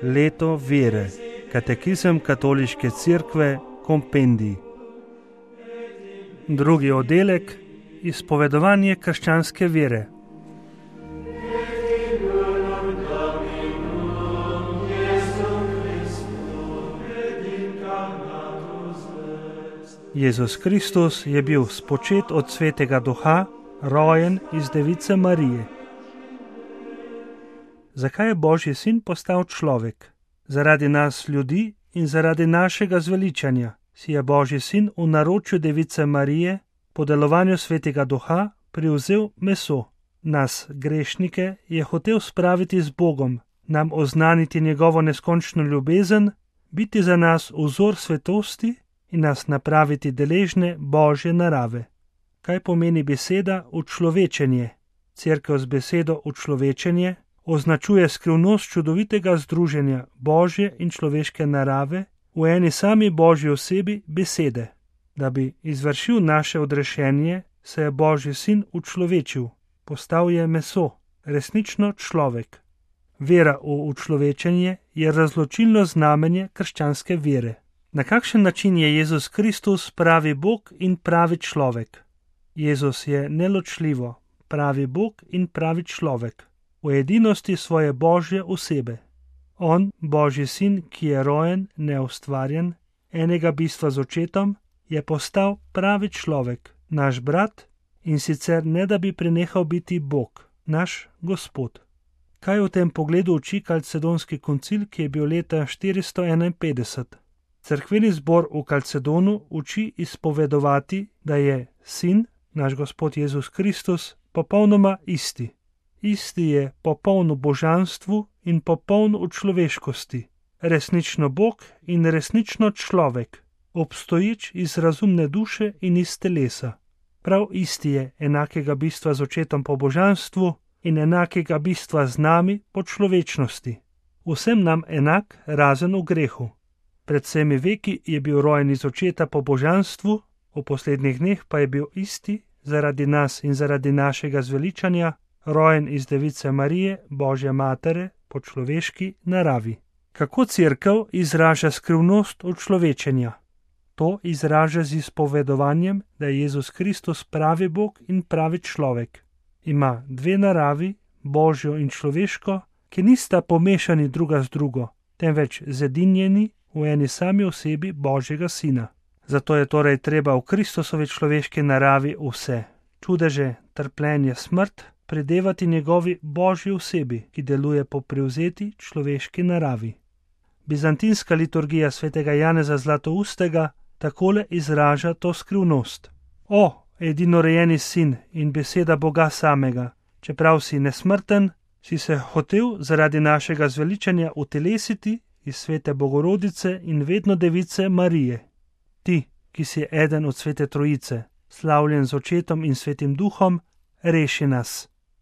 Leto vere, katekizem Katoliške cerkve, kompendij. Drugi oddelek, izpovedovanje krščanske vere. Jezus Kristus je bil spočet od Svetega Duha, rojen iz Device Marije. Zakaj je Božji sin postal človek? Zaradi nas ljudi in zaradi našega zveličanja si je Božji sin v naročju Device Marije po delovanju Svetega Duha privzel meso. Nas, grešnike, je hotel spraviti z Bogom, nam oznaniti njegovo neskončno ljubezen, biti za nas vzor svetosti in nas napraviti deležne Božje narave. Kaj pomeni beseda učlovečenje? Cerkev z besedo učlovečenje označuje skrivnost čudovitega združenja Božje in človeške narave v eni sami Božji osebi besede. Da bi izvršil naše odrešenje, se je Božji sin učlovečil, postal je meso, resnično človek. Vera v učlovečenje je razločilno znamenje krščanske vere. Na kakšen način je Jezus Kristus pravi Bog in pravi človek? Jezus je neločljivo pravi Bog in pravi človek, v edinosti svoje Božje osebe. On, Božji sin, ki je rojen, neustvarjen, enega bistva z očetom, je postal pravi človek, naš brat, in sicer ne da bi prenehal biti Bog, naš Gospod. Kaj v tem pogledu uči Kalcedonski koncil, ki je bil leta 451? Cerkveni zbor v Kalcedonu uči izpovedovati, da je sin, naš Gospod Jezus Kristus, popolnoma isti. Isti je popoln v božanstvu in popoln v človeškosti, resnično Bog in resnično človek, obstoječ iz razumne duše in iz telesa. Prav isti je enakega bistva z očetom po božanstvu in enakega bistva z nami po človečnosti. Vsem nam enak, razen v grehu. Pred vsemi veki je bil rojen iz očeta po božanstvu, v poslednjih dneh pa je bil isti, zaradi nas in zaradi našega zveličanja, rojen iz Device Marije, Božje matere, po človeški naravi. Kako cerkev izraža skrivnost učlovečenja? To izraža z izpovedovanjem, da je Jezus Kristus pravi Bog in pravi človek. Ima dve naravi, Božjo in človeško, ki nista pomešani druga z drugo, temveč zedinjeni v eni sami osebi Božjega sina. Zato je torej treba v Kristusovi človeški naravi vse, čudeže, trpljenje, smrt, predevati njegovi Božji osebi, ki deluje po prevzeti človeški naravi. Bizantinska liturgija svetega Janeza Zlatoustega takole izraža to skrivnost. O, edinorejeni sin in beseda Boga samega, čeprav si nesmrten, si se hotel zaradi našega zveličanja utelesiti iz svete Bogorodice in vedno Device Marije. Ti, ki si eden od svete Trojice, slavljen z očetom in svetim duhom, reši nas.